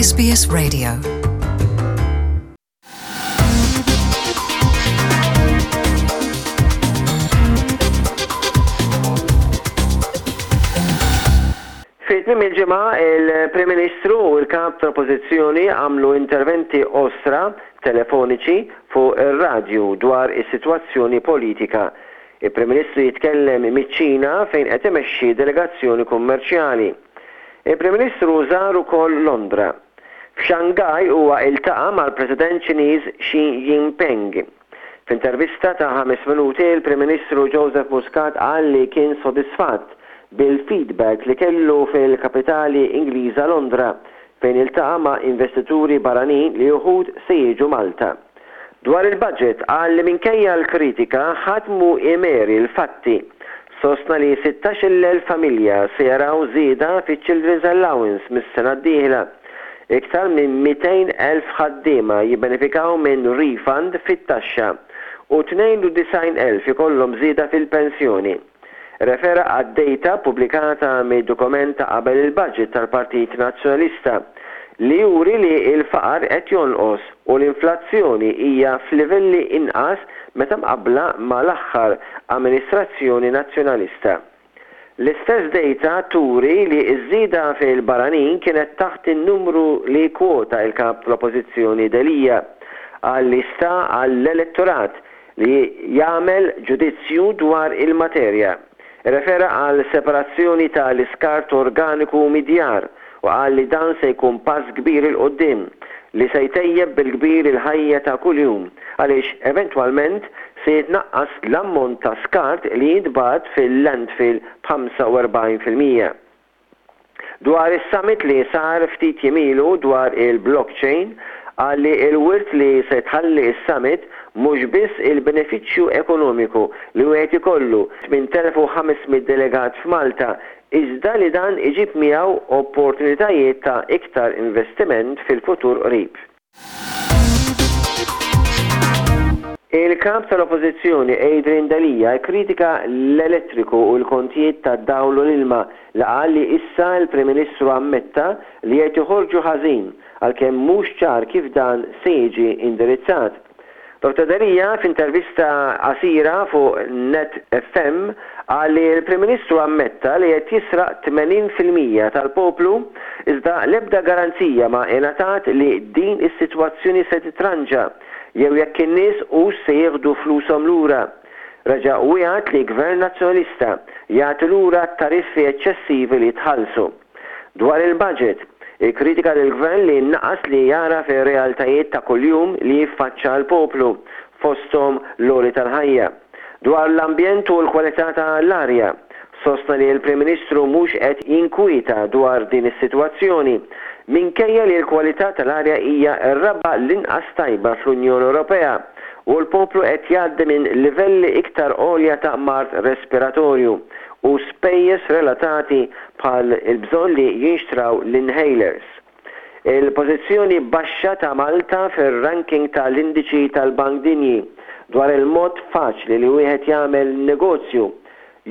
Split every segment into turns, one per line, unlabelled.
SBS Radio. Fi tmiem il-ġimgħa, il-Prim Ministru u l-Kap tal-Oppożizzjoni għamlu interventi qosra telefoniċi fuq ir-radju dwar is-sitwazzjoni politika. Il-Prim Ministru jitkellem miċ-Ċina fejn qed imexxi delegazzjoni kummerċjali. Il-Prim Ministru żar ukoll Londra. F'Shanghai huwa iltaqa' mal-President Ċiniż Xi Jinping. F'intervista ta' ħames minuti l-Prim Ministru Joseph Muscat qal li kien sodisfatt bil-feedback li kellu fil-kapitali Ingliża Londra fejn iltaqa' ma' investituri barranin li uħud se jiġu Malta. Dwar il-budget qal li minkejja l-kritika ħadd mhu imeri l-fatti. Sostna li 16,000 familja se jaraw żieda fiċ-Children's Allowance mis-sena d-dieħla. Iktar minn 200,000 ħaddiema jibbenefikaw minn refund fit-taxxa u 92,000 ikollhom żieda fil-pensjoni. Rrefera għad-dejta ppubblikata mid-dokument ta' qabel il-budget tal-Partit Nazzjonalista li juri li l-faqar qed jonqos u l-inflazzjoni hija f'livelli inqas meta mqabbla mal-aħħar amministrazzjoni Nazzjonalista. L-istess dejta turi li ż-żieda fil-barranin kienet taħt in-numru li kkwota l-Kap tal-Oppożizzjoni Delia. Qal li sta għall-elettorat li jagħmel ġudizzju dwar il-materja. Irrefera għal separazzjoni ta' l-iskart organiku mid-djar u qal li dan se jkun pass kbir 'il quddiem li se jtejjeb bil-kbir il-ħajja ta' kuljum għaliex eventwalment se jitnaqqas l-ammont ta' skart li jintbagħat fil-landfill b'45%. Dwar is-summit li sar ftit jiem ilu dwar il-blockchain, qal li l-wirt li se tħalli s-summit mhux biss il-benefiċċju ekonomiku li wieħed ikollu 8,500 delegat f'Malta iżda li dan iġib miegħu opportunitajiet ta' iktar investiment fil-futur qrib. Il-Kap tal-Oppożizzjoni Adrian Delia kkritika l-elettriku u l-kontijiet tad-dawl u l-ilma li qal li issa l-Prim Ministru ammetta li qed joħorġu ħażin għalkemm mhux ċar kif dan se jiġi indirizzat. Dottor Delia f'intervista qasira fuq Net FM qal li l-Prim Ministru ammetta li qed jisraq 80% tal-poplu iżda l-ebda garanzija ma ingħatat li din is-sitwazzjoni se titranġa jew jekk in-nies hux se jieħdu flushom lura. Reġa' wiegħed li Gvern Nazzjonalista jagħti lura t-tariffi eċċessivi li tħallsu. Dwar il-budget, ikkritika lill-Gvern li naqas li jagħraf ir-realtajiet ta' kuljum li jiffaċċa l-poplu, fosthom l-għoli tal-ħajja. Dwar l-ambjent u l-kwalità ta' l-arja, sostna li l-Prim Ministru mhux qed jinkwieta dwar din is-sitwazzjoni, minkejja li l-kwalità tal-arja hija r-raba' l-inqas tajba fl-Unjoni Ewropea u l-poplu qed jgħaddi minn livelli iktar għolja ta' mard respiratorju u spejjeż relatati bħal il-bżonn li jinxtraw l-inhalers. Il-pożizzjoni baxxa ta' Malta fir-ranking ta' l-Indiċi tal-Bank Dinji dwar il-mod faċli li wieħed jagħmel negozju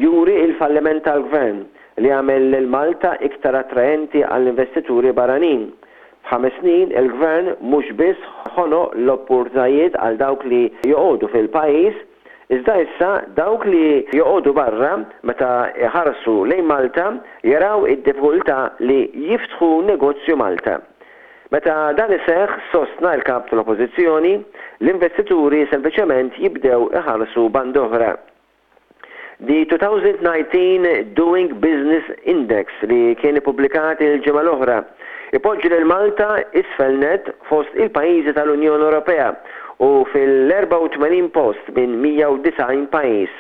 juri l-falliment tal-Gvern li jagħmel lil Malta iktar attraenti għall-investituri barranin. F'ħames snin il-Gvern mhux biss ħonoq l-opportunitajiet għal dawk li joqogħdu fil-pajjiż, Iżda issa dawk li joqogħdu barra meta jħarsu lejn Malta jaraw id-diffikultà li jiftħu negozju Malta. Meta dan iseħħ, sostna l-Kap tal-Oppożizzjoni, l-investituri sempliċement jibdew iħarsu band'oħra. The 2019 Doing Business Index li kien ippubblikat il-ġimgħa l-oħra ipoġġi lil Malta isfel nett fost il-pajjiżi tal-Unjoni Ewropea u fil-84 post minn 190 pajjiż.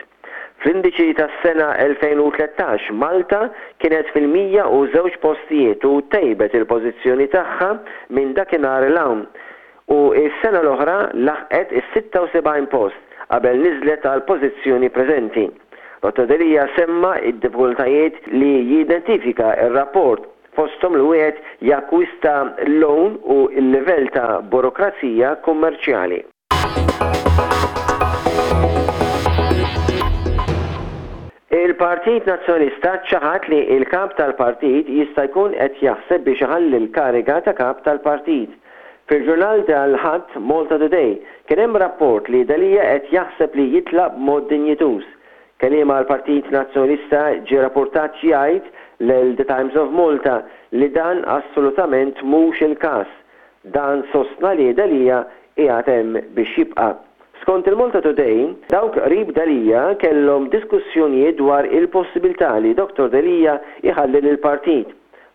Fl-indiċi tas-sena 2013 Malta kienet fil-102 postijiet u tejbet il-pożizzjoni tagħha minn dakinhar 'l hawn u s-sena l-oħra laħqet is-76 post qabel niżlet għall-pożizzjoni preżenti. Dottor Delia semma d-diffikultajiet li jidentifika r-rapport fosthom li wieħed jakkwista loan u l-livell ta' burokrazija kummerċjali. Il-Partit Nazzjonalista ċaħad li l-Kap tal-Partit jista' jkun qed jaħseb biex iħalli l-kariga ta' Kap tal-Partit. Fil-ġurnal tal-Ħadd, Malta Today, kien hemm rapport li Delia qed jaħseb li jitlaq b'mod dinjituż. Kelliem għall-Partit Nazzjonalista ġie rappurtat jgħid lil The Times of Malta li dan assolutament mhux il-każ. Dan sostna li Delia qiegħed hemm biex jibqa'. Skont il-Malta Today, dawk qrib Delia kellhom diskussjonijiet dwar il-possibilità li Dottor Delia jħalli lill-partit.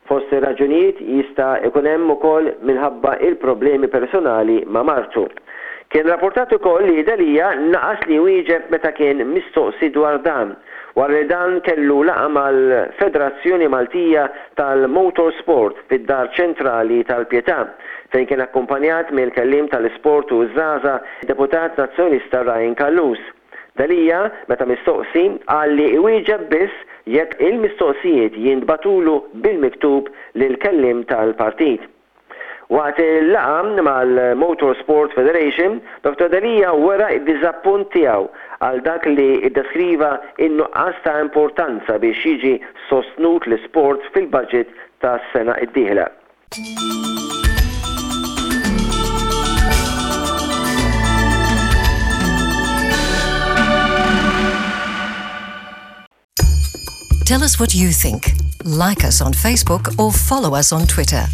Fost ir-raġunijiet jista' jkun hemm ukoll minħabba il-problemi personali ma' martu. Kien rappurtat ukoll li Delia naqas li jwieġeb meta kien mistoqsi dwar dan, wara li dan kellu laqgħa mal-Federazzjoni Maltija tal-Motorsport fid-Dar Ċentrali tal-Pietà, fejn kien akkumpanjat mill-Kelliem tal-Isport u ż-Żgħażagħ, Deputat Nazzjonalista Ryan Callus. Delia, meta mistoqsi, qal li iwieġeb biss jekk il-mistoqsijiet jintbagħtulu bil-miktub lill-kelliem tal-partit. Waqt il-laqgħa mal-Motor Sport Federation, Dottor Delia wera d-diżappunt tiegħu għal dak li ddeskriva n-nuqqas ta' importanza biex jiġi sostnut l-isport fil-budget tas-sena d-dieħla.
Tell us what you think. Like us on Facebook or follow us on Twitter.